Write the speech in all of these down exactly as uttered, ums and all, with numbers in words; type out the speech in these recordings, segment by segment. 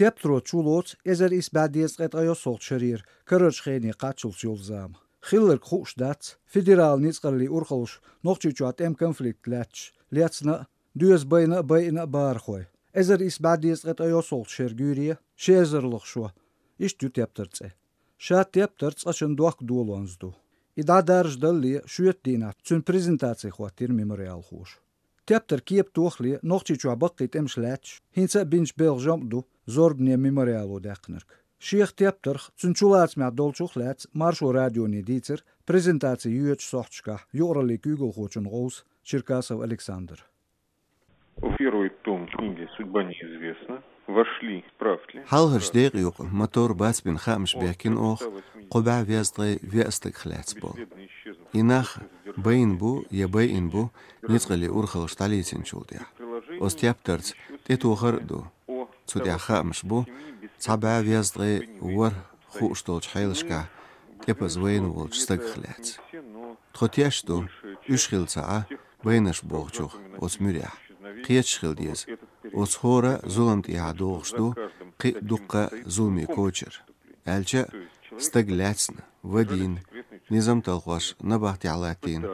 Тептаро чулоцу эзар исс бӀе дезткъе ткъайоьсналгӀачу шарера карарчу хене кхаччалц йолу зама. Хилларг хууш дац, федералан ницкъаллийн урхаллаш Нохчийчохь тӀеман конфликт лаьтташ лецна а, доьзна байна а, байина а бахархой. Эзар исс бӀе дезткъе ткъайоьсналгӀачу шеран гуьйре, ши эзарлагӀа шо. Иштта ю тептаран цӀе. Ша тептар цкъачунна дохка долонза ду. И дӀадаржадалале шоьтан дийнахь цуьнан презентаци хӀоттийра мемориалхоша. Тептар кепа тохале Нохчийчохь баккхий тӀемаш лаьтташ, хӀинца а бинчу белхан жамӀ ду зорбане мемориало даьккхинарг. Шех тептарх, цуьнан чулацамехь долчух а лаьцна Маршо радионе дийцира презентаци йоьдучу сохьташкахь юкъараллин куьйгалхочун гӀовс Черкасов Александр. В первый том книги «Судьба неизвестна» вошли справки. Хьалхарчу декъа юкъа мотор бац бина хаамаш бехкина оха кхо бӀе везткъе веа стагах лаьцна болу. И нах байна бу я байина бу ницкъаллийн урхаллаш дӀалецначул тӀаьхьа. Оцу тептарца тӀетохар а ду. Цу тӀехь хаамаш бу цхьа бӀе везткъе ворхӀ хууш долчу хьелашкахь тӀепаза вайна волчу стагах лаьцна. Тхо тешна ду, уьш хилла ца Ӏа, байнарш бохучух оцу муьрехь. Кхеташ хила деза, оцу хӀора зулам тӀехьа догӀуш ду кхин а дуккха а зуламе кочар. Аьлча а, стаг лаьцна, вадийна, низам талхош набахтехь латтийна,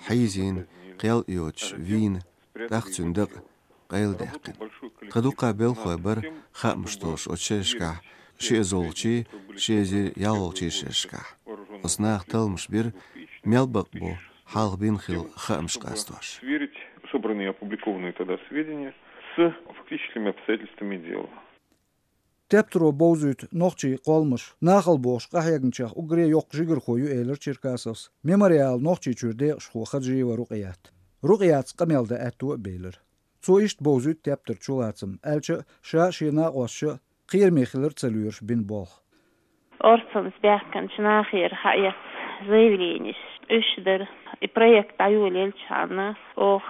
хьийзийна, кхел а йоцуш вийна, тӀаккха цуьнан дакъа къайладаьккхина. Тхан дуккха а белхалой бара хаамаш толлуш оцу шерашкахь, ши эзарлагӀчий, ши эзар ялхлагӀчий шерашкахь. Оцу наха талламаш бира, мел бакъ бу хьалха бина хилла хаамаш къастош. Сверить собранные и опубликованные тогда сведения с фактическими обстоятельствами дела. Тептаро бовзуьйту нохчийн кхолламаш нахала бохуш къахьегначех уггаре йоккха жигархо ю, элира Черкасовс мемориалан Нохчийчуьра декъашхо Хаджиева Рукъият. Рукъиятца къамел дан аьтто а белира. Цо иштта бовзуьйту тептаран чулацам, аьлча а, ша а, шен накъосташа а кхераме хилар ца лоьруш бина болх. Орцанца баьхкинчу нахера хьаэцна заявленеш, уьш дара. И проект дӀайолаелчхьана, оха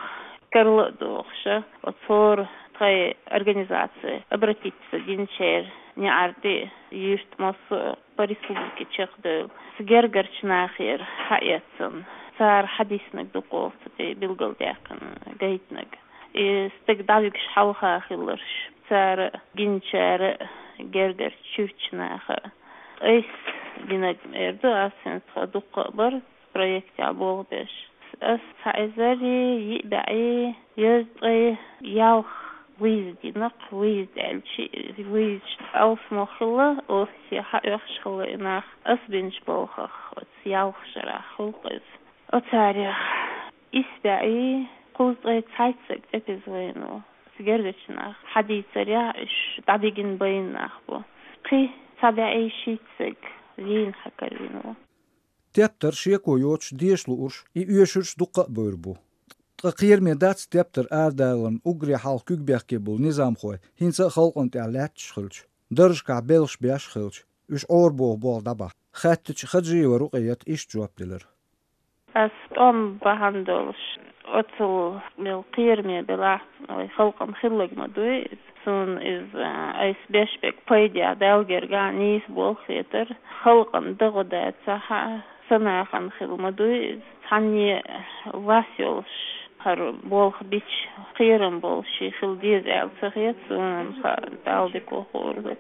карла а дохуша, оцу хӀора тхайн организаци обратиться динчеран неӀарди юьртмассо а по республике чекхдевлла. Гергарчу нахера хьаэцна, цара хьадиснарг ду-кх оха цу тӀе билгалдаьккхина, гайтинарг. И стаг дӀавигаш хьалха хилларш, цара гиначара а, гергарчу чуьрачу наха а. Айса гинарг эр ду ас, хӀинца тхо дуккха а бара проектехь болх беш. Ас цхьа эзар йиъ бӀе дезткъе ялх выезд дина-кх, выезд аьлча, выездаш алсамо хилла, оцу хьаоьхуш хилла и нах ас бинчу болхах, оцу ялх шарахь хилла-кх иза. Оцарех исс бӀе кхузткъе цхьайтта стаг тӀепаза вайна ву. Гергарчу наха хьадийцарехь, уьш дӀадигина байна нах бу. Кхин цхьа бӀе шийтта стаг вийна хьакарвина ву. Тептар шеко йоцуш деша луурш, и оьшурш дуккха а бевр бу. Ткъа кхераме дац тептар арадаларна уггаре хьалха куьг бехке болу низамхой хӀинца а халкъана тӀехь лаьтташ хилча, даржашкахь белхаш беш а хилча, уьш Ӏорабоху болх дӀабахьа? Хаьттича, Хаджиева Рукъият иштта жоп делира. Ас тӀом бахьана долуш, оццул мел кхераме белахь, вай халкъана хилларг ма дуй иза. Суна иза, айса беш берг пайдехь, Далла гергахь нийса болх хетара. Халкъана дагӀо дацахь а, сан нахана хилла ма дуй иза. Цхьанне вас йолуш, хӀара болх бича, кхерам болуш хила деза аьлла ца хета суна, амма хаа, Далла дика ву хуур вай.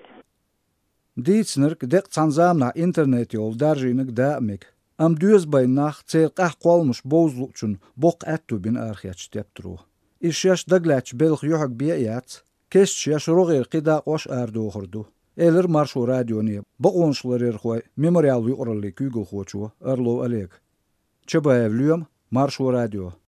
Дийцинарг декъа цхьана заманахь интернет йолу даржийнарг даа а мега. Амма доьзна байна нах, церан къаьхьа кхолламаш бовза луучунна боккха аьтто бина арахецначу тептаро. Иза шаьш дагалаьцначу белхан юьхьиг бен а яц, кесташ еш рогӀера кхин дакъош а арадохур ду, элира Маршо радионе бакъонаш ларъярхойн мемориалан юкъараллин куьйгалхочо Орлов Олега. Чабаев Лоьма, Маршо радио.